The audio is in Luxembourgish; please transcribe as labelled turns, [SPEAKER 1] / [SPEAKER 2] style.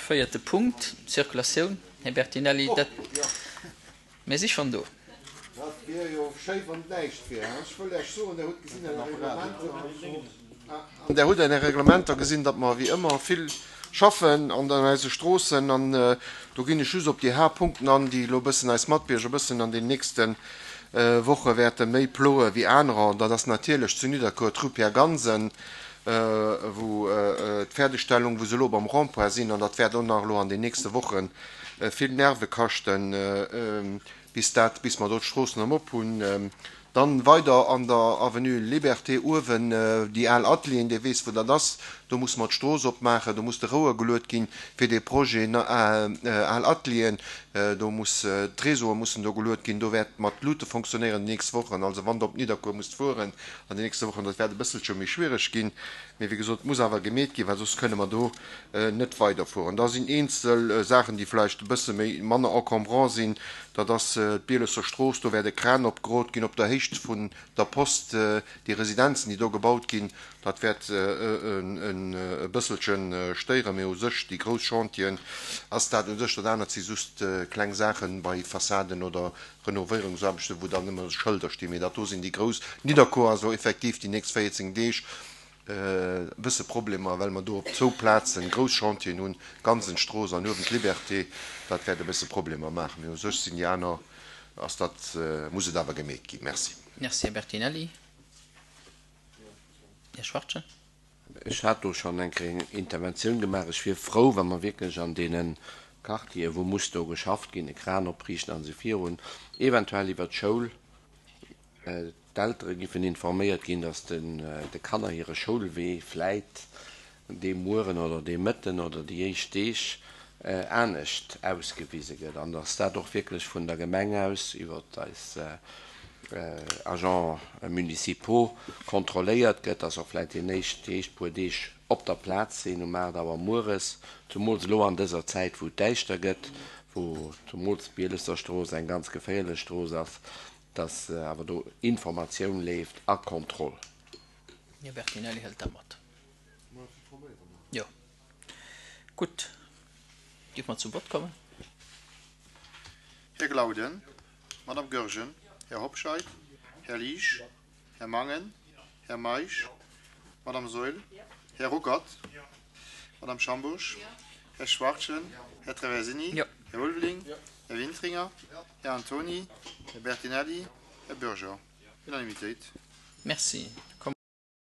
[SPEAKER 1] Véierte Punkt, d'Circulatioun. Här Bertinelli, dat, mir si schonn do.
[SPEAKER 2] Dat wier jo schéi, wann et näischt wier. Ech wëll Iech soen, Der hutt gesinn an de Reglementer, an Der hutt an de Reglementer gesinn, datt mer wéi ëmmer vill schaffen an eise Stroossen. An do ginn ech just op déi Haaptpunkten an, déi elo e bëssen eis Matbierger e bëssen an den nächste Woche wäerte méi ploe wéi anerer. An dat ass natierlech zu Nidderkuer d'Rue Pierre Gansen, wou d'Fäerdegstellung, wou se elo beim Rond-point sinn, an dat wäert och nach elo an den nächste Woche vill Nerve kaschten, bis dat, bis mer do d'Stroossen erëm op hunn. Dann weider an der Avenue Liberté uewen, déi al Atelieren, Dir weess wou dat ass, do musse mer d'Strooss opmaachen, do muss de Rouer geluet ginn fir dee Projet al Atelieren, do muss, d'Réseaue mussen do geluet ginn, do wäert mat Luute fonctionnéieren déi nächst Wochen. Also wann Der op Nidderkuer musst fueren an den nächste Wochen, dat wäert e bësselche méi schwiereg ginn, mee wéi gesot, et muss awer gemeet ginn, well soss kënne mer do net weiderfueren. Da sinn eenzel Saachen, déi vläicht e bësse méi manner encombrant sinn, dat ass d'Bielesser Strooss, do wäert e Kran opgerot ginn op der Héicht vun der Post, déi Residenzen, déi do gebaut ginn, dat wäert e bësselche stéieren, mee u sech déi grouss Chantieren ass dat u sech, dat anert si just kleng Saachen bei Fassaden oder Renovéierungsaarbechten, wou dann nëmme Schëlder stinn, mee dat do sinn déi grouss. Nidderkuer ass elo effektiv déi nächst 14 Deeg e bësse Problemer, well mer do op zwou Plazen grouss Chantieren hunn, Gansenstrooss an uewen d'Liberté. Dat wäert e bësse Problemer maachen, mee u sech sinn déi aner, ass dat, muss et awer gemeet ginn. Merci.
[SPEAKER 1] Merci, Här Bertinelli. Här Schwachtgen.
[SPEAKER 3] Ech hat do schonn eng Kéier eng Interventioun gemaach. Ech wier frou, wa mer wierklech an deene Quartieren, wou muss do geschafft ginn, e Kran opriichten a sou virun, eventuell iwwert d'Schoul, d'Eltere giffen informéiert ginn, datt de Kanner hire Schoulwee vläit dee Mueren oder dee Mëtten oder déi éischt Deeg anescht ausgewise gëtt an datt dat och wierklech vun der Gemeng aus iwwert eis Agents municipaux kontrolléiert gëtt, dass och vläicht déi éischt, déi éischt puer Deeg op der Plaz sinn um 8 Auer mueres, zumools elo an dëser Zäit wou et däischter gëtt, wou zumools d'Bielesser Strooss eng ganz geféierlech Strooss ass, dass awer do Informatioun leeft a Kontroll.
[SPEAKER 1] Här Bertinelli hëlt dat mat. Jo. Gutt. Dierfe mer zum Vott kommen?
[SPEAKER 4] Här Glauden, Madame Goergen, Här Hobscheit, Här Liesch, Här Mangen, Här Meisch, Madame Saeul, Här Ruckert, Madame Schambourg, Här Schwachtgen, Här Traversini, Här Ulveling, Här Wintringer, Här Antony, Här Bertinelli, Här Bürger. Unanimitéit.
[SPEAKER 1] Merci.